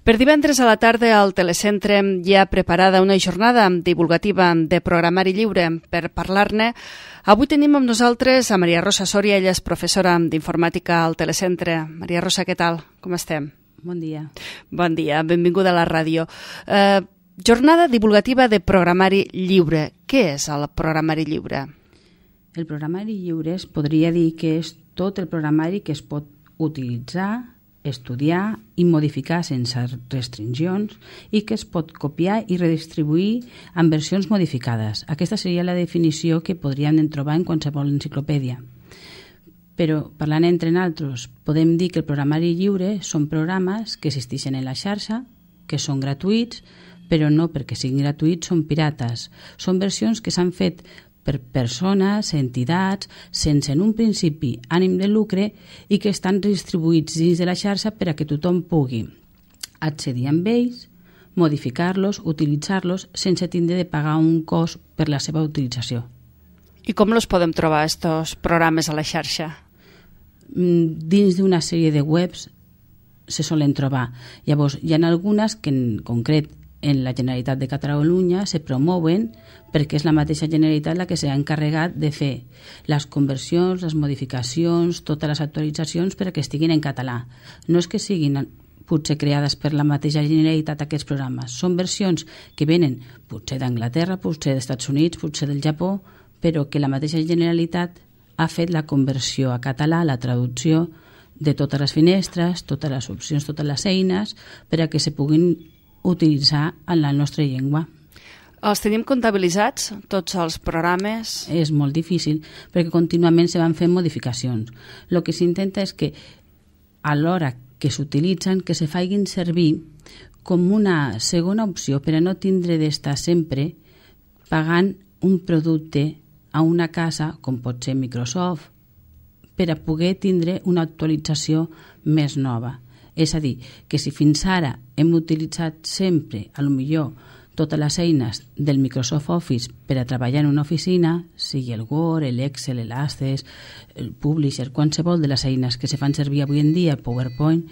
Per divendres a la tarda al Telecentre hi ha preparada una jornada divulgativa de programari lliure. Per parlar-ne, avui tenim amb nosaltres a Maria Rosa Soria, ella és professora d'informàtica al Telecentre. Maria Rosa, què tal? Com estem? Bon dia. Bon dia, benvinguda a la ràdio. Jornada divulgativa de programari lliure. Què és el programari lliure? El programari lliure es podria dir que és tot el programari que es pot utilitzar, estudiar i modificar sense restriccions i que es pot copiar i redistribuir en versions modificades. Aquesta seria la definició que podríem trobar en qualsevol enciclopèdia. Però, parlant entre nosaltres, podem dir que el programari lliure són programes que existeixen en la xarxa, que són gratuïts, però no perquè siguin gratuïts són pirates. Són versions que s'han fet per persones, entitats, sense en un principi ànim de lucre i que estan distribuïts dins de la xarxa per a que tothom pugui accedir amb ells, modificar-los, utilitzar-los sense tindre de pagar un cost per la seva utilització. I com els podem trobar, estos programes a la xarxa? Dins d'una sèrie de webs se solen trobar. Llavors, hi ha algunes que en concret en la Generalitat de Catalunya se promouen perquè és la mateixa Generalitat la que s'ha encarregat de fer les conversions, les modificacions, totes les actualitzacions per a que estiguin en català. No és que siguin potser creades per la mateixa Generalitat aquests programes. Són versions que venen potser d'Anglaterra, potser dels Estats Units, potser del Japó, però que la mateixa Generalitat ha fet la conversió a català, la traducció de totes les finestres, totes les opcions, totes les eines, per a que se puguin utilitzar en la nostra llengua. Els tenim comptabilitzats, tots els programes? És molt difícil, perquè contínuament se van fent modificacions. El que s'intenta és que a l'hora que s'utilitzen, que se facin servir com una segona opció per a no tindre d'estar sempre pagant un producte a una casa, com pot ser Microsoft, per a poder tindre una actualització més nova. És a dir, que si fins ara hem utilitzat sempre, a lo millor, totes les eines del Microsoft Office per a treballar en una oficina, sigui el Word, l'Excel, l'Access, el Publisher, qualsevol de les eines que se fan servir avui en dia, el PowerPoint,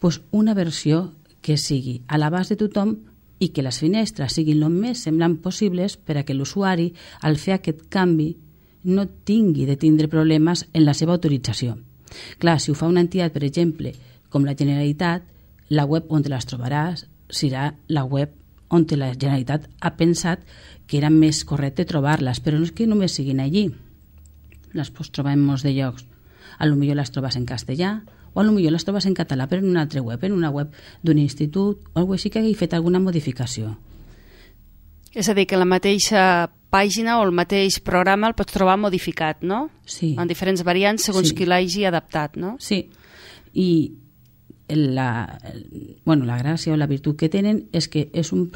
doncs una versió que sigui a l'abast de tothom i que les finestres siguin el més semblant possibles per a que l'usuari, al fer aquest canvi, no tingui de tindre problemes en la seva autorització. Clar, si ho fa una entitat, per exemple, com la Generalitat, la web on te les trobaràs serà la web on la Generalitat ha pensat que era més correcte trobar-les, però no és que només siguin allí. Les pots trobar en molts de llocs. A lo millor les trobes en castellà o a lo millor les trobes en català, però en una altra web, en una web d'un institut o alguna cosa així que hagi fet alguna modificació. És a dir, que la mateixa pàgina o el mateix programa el pots trobar modificat, no? Sí. En diferents variants segons qui l'hagi adaptat, no? Sí. I la gràcia o la virtut que tenen és que és un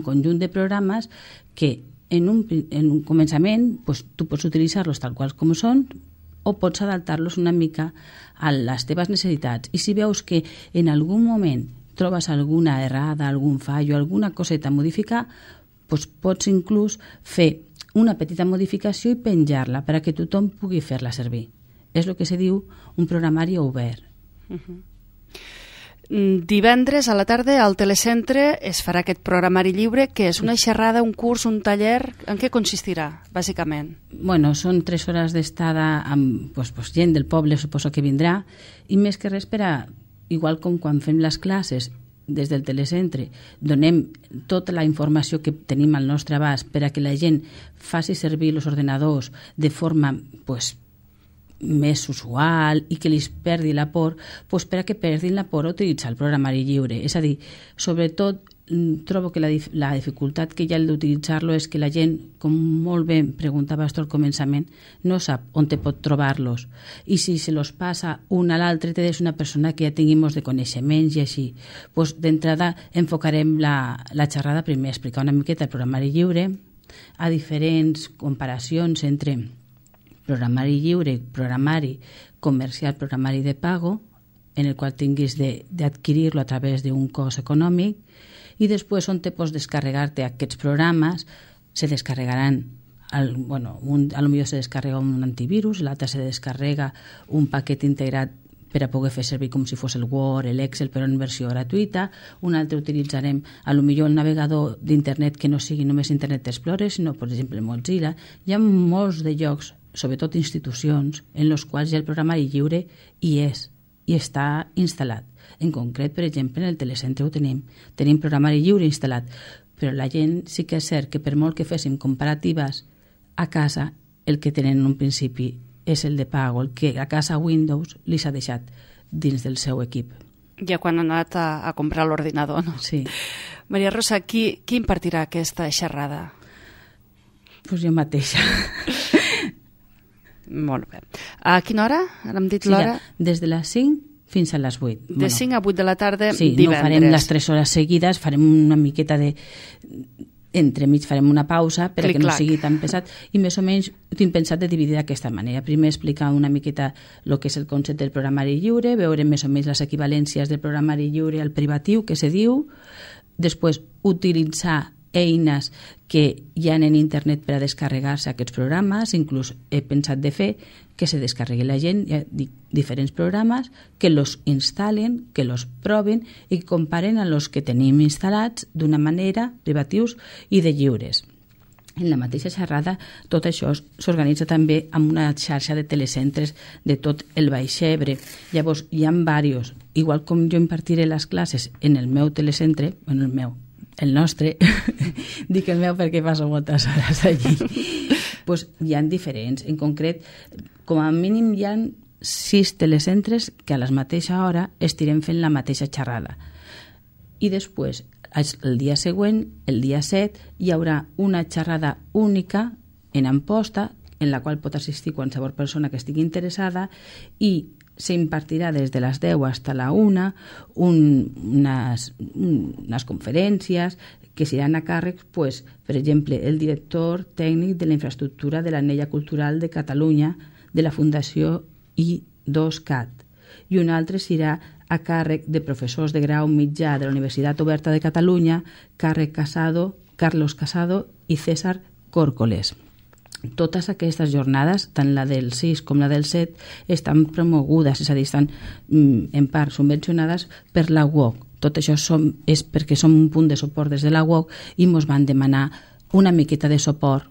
conjunt de programes que en un començament pues, tu pots utilitzar-los tal qual com són o pots adaptar-los una mica a les teves necessitats. I si veus que en algun moment trobes alguna errada, algun fallo, alguna coseta a modificar, pues pots inclús fer una petita modificació i penjar-la per a que tothom pugui fer-la servir. És el que se diu un programari obert. Divendres a la tarda al Telecentre es farà aquest programari lliure, que és una xerrada, un curs, un taller. En què consistirà, bàsicament? Bueno, són 3 hores d'estada amb gent del poble, suposo que vindrà, i més que res per a, igual com quan fem les classes des del Telecentre, donem tota la informació que tenim al nostre abast per a que la gent faci servir els ordenadors de forma més usual i que li perdi la por, per a que perdin la por a utilitzar el programari lliure. És a dir, sobretot trobo que la dificultat que hi ha d'utilitzar-lo és que la gent, com molt bé preguntaves tu al començament, no sap on te pot trobar-los. I si se los passa un a l'altre, te des una persona que ja tingui molts de coneixements i així. D'entrada enfocarem la xerrada primer a explicar una miqueta el programari lliure, a diferents comparacions entre programari lliure, programari comercial, programari de pago, en el qual tinguis d'adquirir-lo a través d'un cost econòmic, i després on te pots descarregar-te aquests programes, se descarregaran, a lo millor se descarrega un antivirus, l'altre se descarrega un paquet integrat per a poder fer servir com si fos el Word, l'Excel, però en versió gratuïta. Un altre utilitzarem potser el navegador d'internet que no sigui només Internet Explorer, sinó, per exemple, Mozilla. Hi ha molts de llocs, sobretot institucions, en els quals ja el programari lliure hi és i està instal·lat. En concret, per exemple, en el telecentre ho tenim programari lliure instal·lat, però la gent sí que és cert que per molt que féssim comparatives a casa, el que tenen en un principi és el de pago, el que a casa Windows li s'ha deixat dins del seu equip. Ja quan han anat a comprar l'ordinador, no? Sí. Maria Rosa, qui impartirà aquesta xerrada? Pues jo mateixa. Molt bé. A quina hora? Ara hem dit l'hora? Ja, des de les 5 fins a les 8. De 5 a 8 de la tarda, sí, divendres. No farem les 3 hores seguides, farem una miqueta de... Entremig farem una pausa perquè no sigui tan pesat i més o menys ho tinc pensat de dividir d'aquesta manera. Primer explicar una miqueta el que és el concepte del programari lliure, veure més o menys les equivalències del programari lliure al privatiu, que se diu, després utilitzar eines que hi ha en internet per a descarregar-se aquests programes, inclús he pensat de fer que se descarregui la gent, hi ha diferents programes, que los instal·len, que los proven i que comparen a los que tenim instal·lats d'una manera, privatius i de lliures. En la mateixa xerrada, tot això s'organitza també amb una xarxa de telecentres de tot el Baix Ebre. Llavors, hi ha diversos. Igual com jo impartiré les classes en el meu telecentre, el nostre, dic el meu perquè passo moltes hores allí, pues hi ha diferents. En concret, com a mínim hi ha 6 telecentres que a la mateixa hora estirem fent la mateixa xerrada. I després, el dia següent, el dia 7, hi haurà una xerrada única en Amposta, en la qual pot assistir qualsevol persona que estigui interessada i s'impartirà des de les 10 fins a la 1 unes conferències que seran a càrrec, pues, per exemple, el director tècnic de la infraestructura de l'Anella Cultural de Catalunya de la Fundació I2CAT i un altre serà a càrrec de professors de grau mitjà de la Universitat Oberta de Catalunya, Carlos Casado i César Córcoles. Totes aquestes jornades, tant la del 6 com la del 7, estan promogudes, és a dir, estan en part subvencionades per la UOC. Tot això és perquè som un punt de suport des de la UOC i ens van demanar una miqueta de suport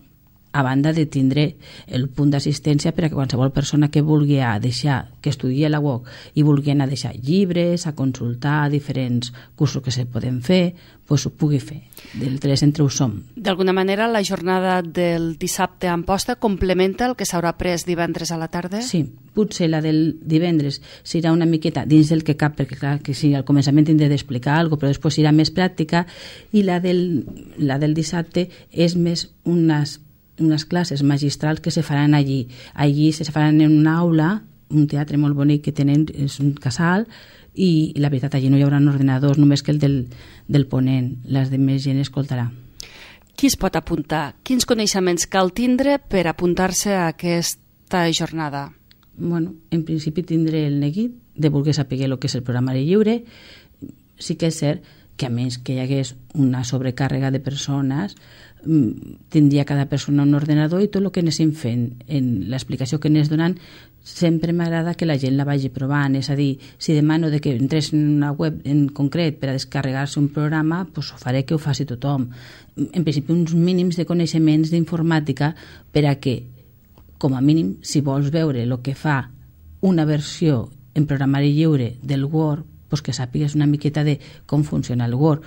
a banda de tindre el punt d'assistència per a que qualsevol persona que vulgui que estudi a la UOC i vulgui anar a deixar llibres, a consultar diferents cursos que se poden fer, pues ho pugui fer. Del telecentre ho som. D'alguna manera, la jornada del dissabte a Amposta complementa el que s'haurà pres divendres a la tarda? Sí, potser la del divendres serà una miqueta dins del que cap, perquè clar, que sí, al començament tindré d'explicar alguna cosa, però després serà més pràctica, i la del dissabte és més unes classes magistrals que se faran allí. Allí se faran en una aula, un teatre molt bonic que tenen, és un casal, i la veritat allí no hi haurà ordenadors, només que el del ponent, les de més gent escoltarà. Qui es pot apuntar? Quins coneixements cal tindre per apuntar-se a aquesta jornada? Bueno, en principi tindré el neguit de voler saber el que és el programari lliure. Sí que és cert que a més que hi hagués una sobrecàrrega de persones, tindria cada persona un ordenador i tot el que anéssim fent en l'explicació que anés donant sempre m'agrada que la gent la vagi provant, és a dir, si demano de que entrés en una web en concret per a descarregar-se un programa, pues ho faré que ho faci tothom. En principi uns mínims de coneixements d'informàtica per a que, com a mínim, si vols veure el que fa una versió en programari lliure del Word, pues que sàpigues una miqueta de com funciona el Word.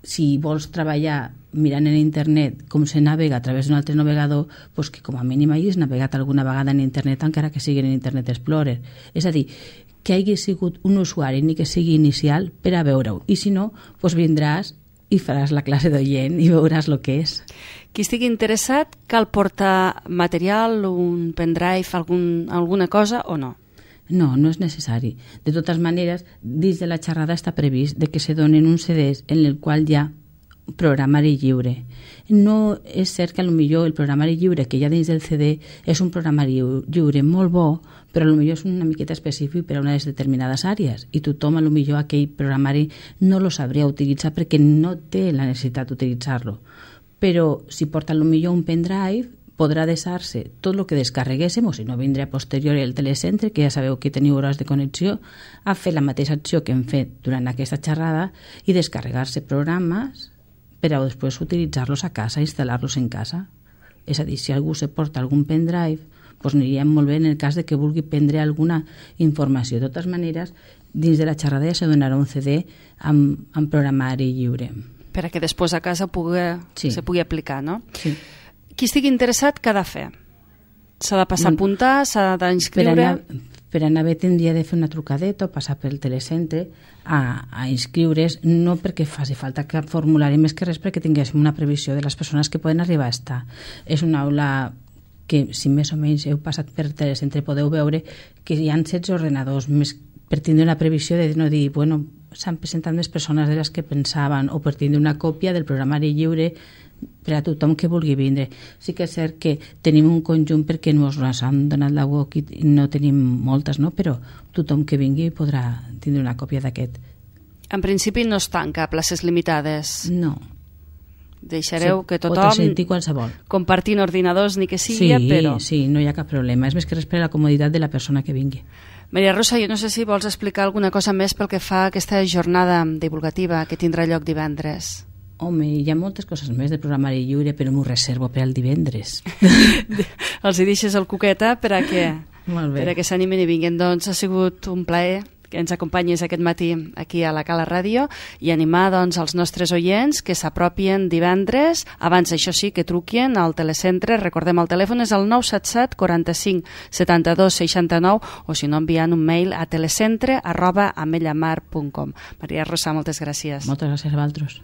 Si vols treballar mirant en internet com se navega a través d'un altre navegador, pues que com a mínim hagis navegat alguna vegada en internet, encara que sigui en Internet Explorer. És a dir, que hagi sigut un usuari ni que sigui inicial per a veure-ho. I si no, pues vindràs i faràs la classe d'oient i veuràs el que és. Qui estigui interessat, cal portar material, un pendrive, alguna cosa o no? No, no és necessari. De totes maneres, dins de la xerrada està previst de que se donen uns CDs en el qual hi ha programari lliure. No és cert que potser el programari lliure que hi ha dins del CD és un programari lliure molt bo, però potser és una miqueta específic per a unes determinades àrees i tothom potser aquell programari no lo sabria utilitzar perquè no té la necessitat d'utilitzar-lo. Però si porta potser un pendrive, podrà deixar-se tot el que descarreguéssim, o si no vindrà a posteriori el telecentre, que ja sabeu que teniu hores de connexió, a fer la mateixa acció que hem fet durant aquesta xerrada i descarregar-se programes per a després utilitzar-los a casa, instal·lar-los en casa. És a dir, si algú se porta algun pendrive, doncs aniria molt bé en el cas de que vulgui prendre alguna informació. De totes maneres, dins de la xerrada ja se donarà un CD amb programari lliure. Per a que després a casa se pugui aplicar, no? Sí. Qui estigui interessat, què ha de fer? S'ha de passar a apuntar, s'ha d'inscriure? Per anar bé tindria de fer una trucadeta o passar pel telecentre a inscriure's, no perquè faci falta cap formulari, més que res perquè tinguéssim una previsió de les persones que poden arribar a estar. És una aula que, si més o menys heu passat per telecentre, podeu veure que hi ha 16 ordenadors, més per tindre una previsió de no dir, bueno, s'han presentat més persones de les que pensaven, o per tindre una còpia del programari lliure per a tothom que vulgui vindre. Sí que és cert que tenim un conjunt perquè ens han donat la UOC i no tenim moltes, no? Però tothom que vingui podrà tindre una còpia d'aquest. En principi no es tanca, places limitades. No. Deixareu que pot tothom sentir qualsevol. Compartint ordinadors ni que sigui, però... Sí, no hi ha cap problema. És més que res per a la comoditat de la persona que vingui. Maria Rosa, jo no sé si vols explicar alguna cosa més pel que fa a aquesta jornada divulgativa que tindrà lloc divendres. Home, hi ha moltes coses més del programari lliure, però m'ho reservo per al divendres. Els hi deixes el cuqueta per a que s'animin i vinguin. Doncs ha sigut un plaer que ens acompanyis aquest matí aquí a la Cala Ràdio i animar doncs els nostres oients que s'apropien divendres, abans això sí que truquin al telecentre, recordem el telèfon és el 977 45 72 69 o si no enviant un mail a telecentre@amellamar.com. Maria Rosa, moltes gràcies. Moltes gràcies a vosaltres.